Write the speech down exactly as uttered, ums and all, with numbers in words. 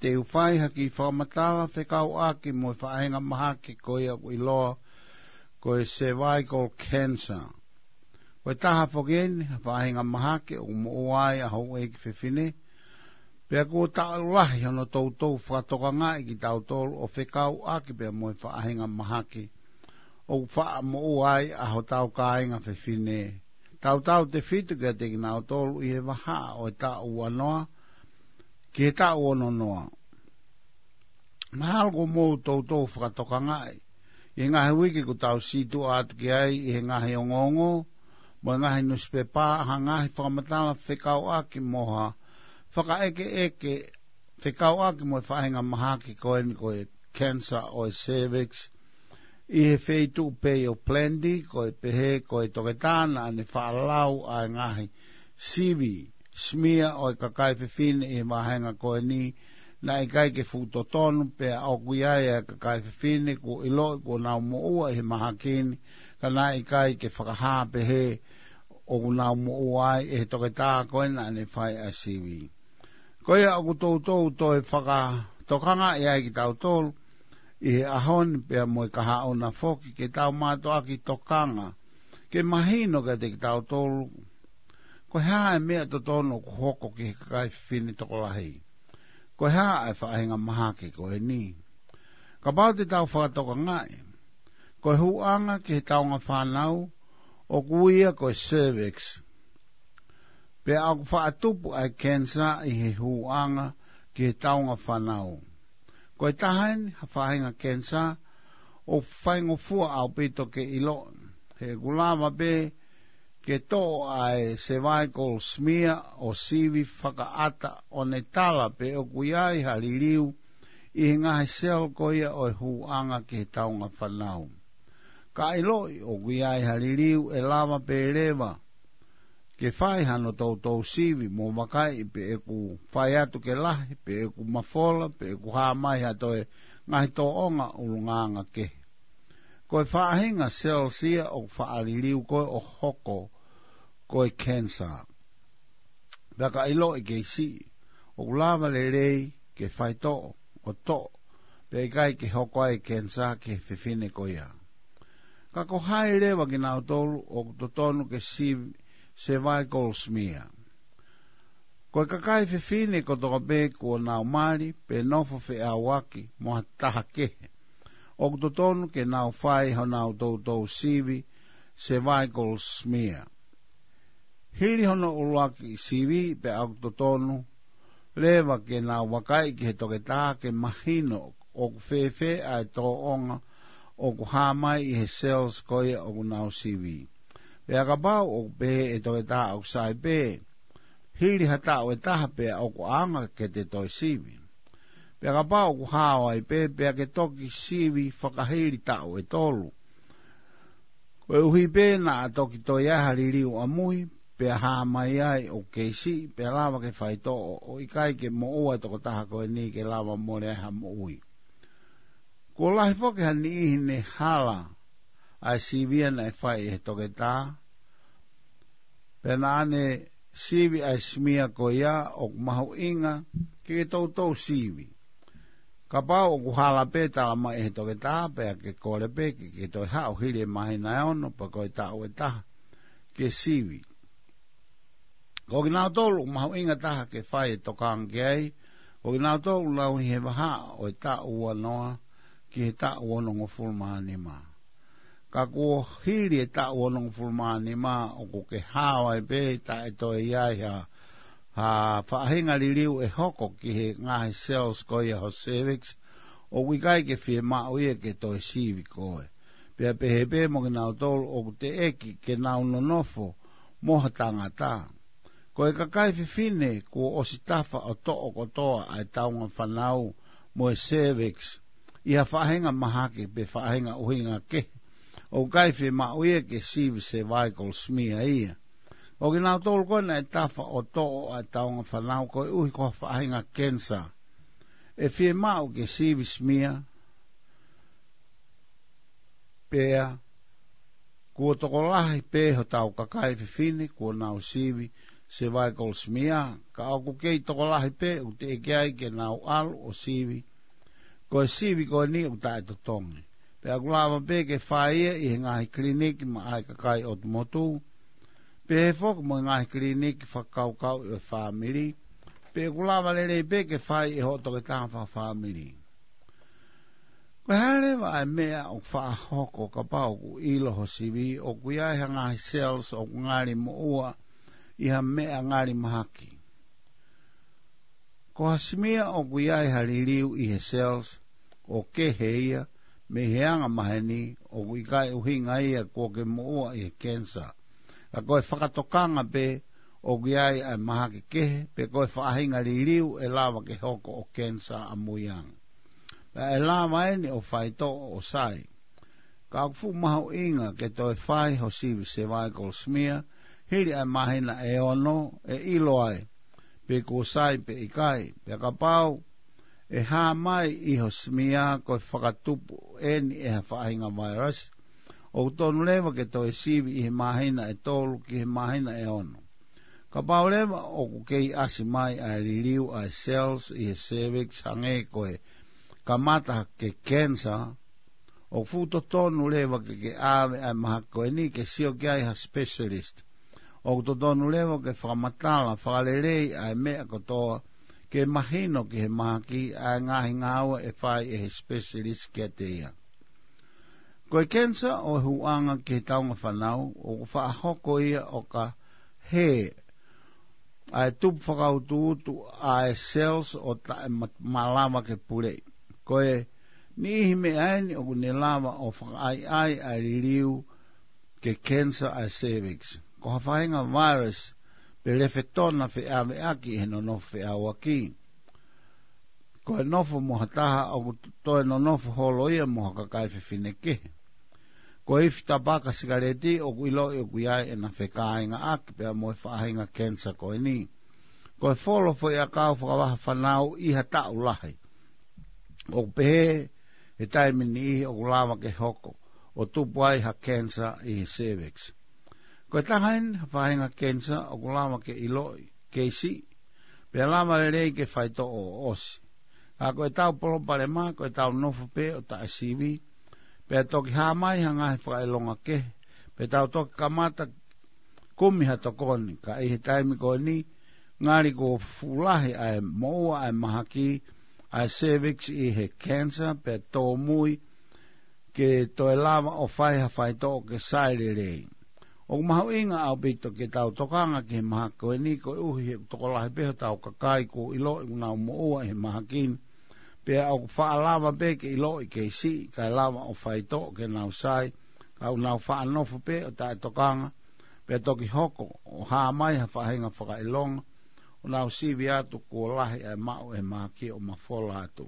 te u fai ha kiʻi fakamatala fekauʻaki mo e faʻahinga mahaki ko ia ʻoku ʻiloa ko e cervical cancer. Ko e taha foki eni ha faʻahinga mahaki ʻoku moʻua ai ʻa houʻeiki fefine, pea kuo taʻu lahi hono toutou fakatokangaʻi kitautolu ʻo fekauʻaki pea mo e faʻahinga mahaki ʻoku faʻa moʻua ai ʻa hotau kāinga fefine, tautautefito kiate kinautolu ʻi he vahaʻa ʻo e taʻu ua noa ki he taʻu ono noa. Mahalo kuo mou toutou fakatokangaʻi ʻi he ngaahi uike kuo tau sītuʻa atu ki ai ʻi he ngaahi ongoongo mo e ngaahi newspaper ha ngaahi fakamatala fekauʻaki mo ha fakaʻekeʻeke fekauʻaki mo e faʻahinga mahaki ko eni ko e cancer ʻo e cervix ʻi he feituʻu pē ʻo Plenty, ko e pehē ko e toketā naʻa ne faʻa lau ʻa e ngaahi sivi, smear, ʻo e kakai fefine ʻi he vāhenga ko eni, naʻe ʻikai ke fuʻu totonu pea ʻoku ʻi ai ʻa e kakai fefine kuo ʻiloʻi kuo nau moʻua ʻi he mahaki ni, ka naʻe ʻikai ke fakahā pehē ʻoku nau moʻua ai ʻe he toketā ko ē naʻa ne fai ʻa e sivi. Ko ia ʻoku toutou toe fakatokangaʻi ai kitautolu ʻi he ʻaho ni pea mo e kahaʻu na foki ke tau mātuʻaki tokanga ke mahino kiate kitautolu ko e hā e meʻa totonu ʻoku hoko ki he kakai fefine tokolahi. Ko e hā e faʻahinga mahaki ko eni. Kapau te tau fakatokangaʻi, ko e hūʻanga ki he taunga fānau ʻoku ui ia ko e cervix. Pea ʻoku faʻa tupu ʻa e cancer ʻi he hūʻanga ki he taunga fānau. Ko e taha eni ha faʻahinga cancer ʻoku faingofua ʻaupito ke ʻiloʻi. He ʻoku lava pē ke toʻo ʻa e cervical smear ʻo sivi fakaʻata ʻo ne tala pe ʻoku ʻi ai ha liliu ʻi he ngaahi cell ko ia ʻo e hūʻanga ki he taunga fānau. Ka ʻiloʻi ʻoku ʻi ai ha liliu ʻe lava pē leva ke fai hano toutou sivi mo vakaiʻi pe ʻoku fai atu ke lahi, pe ʻoku mafola, pe ʻoku hā mai ha toe ngaahi tōʻonga ʻulungaanga kehe. Ko e faʻahinga cells ia ʻoku faʻa liliu ko ē ʻo hoko ko e cancer. Pea ka ʻiloʻi kei siʻi, ʻoku lava lelei ke faitoʻo ʻo toʻo, pea ʻikai ke hoko ai e cancer ki he fefine ko ia. Ka ko hai leva kinautolu ʻoku totonu ke sivi cervical smear. Ko e kakai fefine kotoa pē kuo nau mali pe nofo feʻauaki mo ha taha kehe, ʻoku totonu ke nau fai honau toutou sivi cervical smear. Hili hono ʻuluaki sivi pea ʻoku totonu leva ke nau vakaiʻi ki he toketā ke mahino ʻoku fēfē ʻa e tōʻonga ʻoku hā mai ʻi he cells ko ia ʻoku nau sivi. Pea kapau ʻoku pehē ʻe he toketā ʻoku sai pē, hili ha taʻu ʻe taha pea ʻoku ʻaonga ke te toe sivi. Pea kapau ʻoku hao ai pē, pea ke toki sivi fakahili taʻu ʻe tolu. Koeʻuhi pē naʻa toki toe ʻi ai ha liliu ʻamui, pea hā mai ai ʻoku kei siʻi, pea lava ke faitoʻo, ʻo ʻikai ke moʻua e tokotaha ko eni ke lava mole ai ha moʻui. Kuo lahi foki ha niʻihi ne hala ʻa e sivi ia naʻe fai ʻe he toketā, pea naʻa ne sivi ʻa e smear ko ia ʻoku mahuʻinga ke ke toutou sivi. Kapau ʻoku hala pē tala mai ʻe he toketā pea ke kole pē ke ke toe haʻu hili e māhina ʻe ono pe ko e taʻu ʻe taha ke sivi. Ko kinautolu ʻoku mahuʻinga taha ke fai e tokanga ki ai, ko kinautolu ʻoku nau ʻi he vahaʻa ʻo e taʻu ua noa ki he taʻu onongofulu mā nima. Ka kuo hili e taʻu onongofulu mā nima ʻoku ke hao ai pē taʻe toe ʻi ai ha, ha faʻahinga liliu ʻe hoko ki he ngaahi cells ko ia ho cervix, ʻoku ʻikai ke fiemaʻu ia ke toe sivi koe. Pea pehē pē mo kinautolu ʻoku teʻeki ke nau nonofo mo ha tangata. Ko e kakai fefine kuo ʻosi tafa ʻo toʻo kotoa ʻa e taunga fānau mo e cervix ʻi ha faʻahinga mahaki pe faʻahinga ʻuhinga kehe, ʻoku ʻikai fiemaʻu ia ke sivi cervical smear ia. Ko kinautolu ko ē naʻe tafa ʻo toʻo ʻa e taunga fānau koeʻuhi ko ha faʻahinga cancer, ʻe fiemaʻu ke sivi smear, pea kuo tokolahi pē hotau kakai fefine kuo nau sivi cervical smear, ka ʻoku kei tokolahi pē ʻoku teʻeki ai ke nau ʻalu ʻo sivi. Ko e sivi ko eni ʻoku taʻetotongi. Pea ʻoku lava pē ke fai ia ʻi he ngaahi kiliniki maʻa e kakai ʻotu motu, pehē foki mo e ngaahi kiliniki fakakaukauʻi ʻo e fāmili, pe ʻoku lava lelei pē ke fai ʻe hoʻo toketā fakafāmili. Ko e hā leva ʻa e meʻa ʻoku faʻa hoko kapau ʻoku ʻilo ho sivi ʻoku ʻi ai ha ngaahi cells ʻoku ngali moʻua ʻi ha meʻa ngali mahaki? Ko ha smear ʻoku ʻi ai ha liliu ʻi he cells ʻo kehe ia mei he anga maheni, ʻoku ʻikai ʻuhinga ia kuo ke moʻua ʻi he cancer. Ka ko e fakatokanga pē ʻoku ʻi ai ʻa e mahaki kehe, pe ko e faʻahinga liliu ʻe lava ke hoko ʻo cancer ʻamui ange. Pea ʻe lava eni ʻo faitoʻo ʻo sai. Ka ʻoku fuʻu mahuʻinga ke toe fai ho sivi cervical smear hili ʻa e māhina ʻe ono ʻe ʻilo ai pe kuo sai pe ʻikai. Pea kapau ʻe hā mai ʻi ho smear ko e fakatupu eni ʻe ha faʻahinga virus, ʻoku tonu leva ke toe sivi ʻi he māhina ʻe tolu ki he māhina ʻe ono. Kapau leva ʻoku kei ʻasi mai ʻa e liliu ʻa e cells ʻi he cervix hangē ko e kamata ke cancer, ʻoku fuʻu totonu leva ke ke ʻave ʻa e mahaki ko eni ke sio ki ai ha specialist. ʻOku totonu leva ke fakamatala fakalelei ʻa e meʻa kotoa ke mahino ki he mahaki ʻa e ngaahi ngāue ʻe fai ʻe he specialist kiate ia. Ko e cancer ʻo e huʻanga ki he taunga fānau, ʻoku faʻa hoko ia ʻo ka hē ʻa e tupu fakautuutu ʻa e cells ʻo taʻe ma-, malava ke puleʻi. Ko e niʻihi meʻa eni ʻoku ne lava ʻo fakaʻaiʻai ʻa e liliu ke cancer ʻa e cervix. Ko ha faʻahinga virus pe lefetona feʻaveʻaki he nonofo feʻauaki. Ko e nofo mo ha taha ʻoku toe nonofo holo ia mo ha kakai fefine kehe. Ko e ifi tapaka sikaleti ʻoku ʻiloʻi ʻoku ʻi ai ʻena fekāingaʻaki pea mo e faʻahinga cancer ko eni. Ko e folo foʻiʻakau fakavaha fānau ʻi ha taʻu lahi, ʻoku pehē he taimi niʻihi ʻoku lava ke hoko ʻo tupu ai ha cancer ʻi he cervix. Ko e taha eni ha faʻahinga cancer ʻoku lava ke ʻiloʻi kei siʻi, pea lava lelei ke faitoʻo ʻo ʻosi. Ka ko ʻetau palopalema ko ʻetau nofo pē ʻo taʻesivi, pea toki hā mai ha ngaahi fakaʻilonga kehe, pea tau toki kamata kumi ha tokoni. Ka ʻi he taimi ko eni, ngali kuo fuʻu lahi ʻa e moʻua ʻa e mahaki ʻa e cervix ʻi he cancer, pea tōmui ke toe lava ʻo fai ha faitoʻo ke sai lelei. ʻOku mahuʻinga ʻaupito ke tau tokanga ki he mahaki ko eni, koeʻuhi he ʻoku tokolahi pē hotau kakai kuo ʻiloʻi ʻoku nau moʻua ʻi he mahaki ni. Pea ʻoku faʻa lava pē ke ʻiloʻi kei siʻi, kae lava ʻo faitoʻo ke nau sai, ka ʻoku nau faʻa nofo pē ʻo taʻetokanga, pea toki hoko ʻo hā mai ha faʻahinga fakaʻilonga, ʻo nau sivi atu kuo lahi ʻa e maʻu ʻe he mahaki ʻo mafola atu.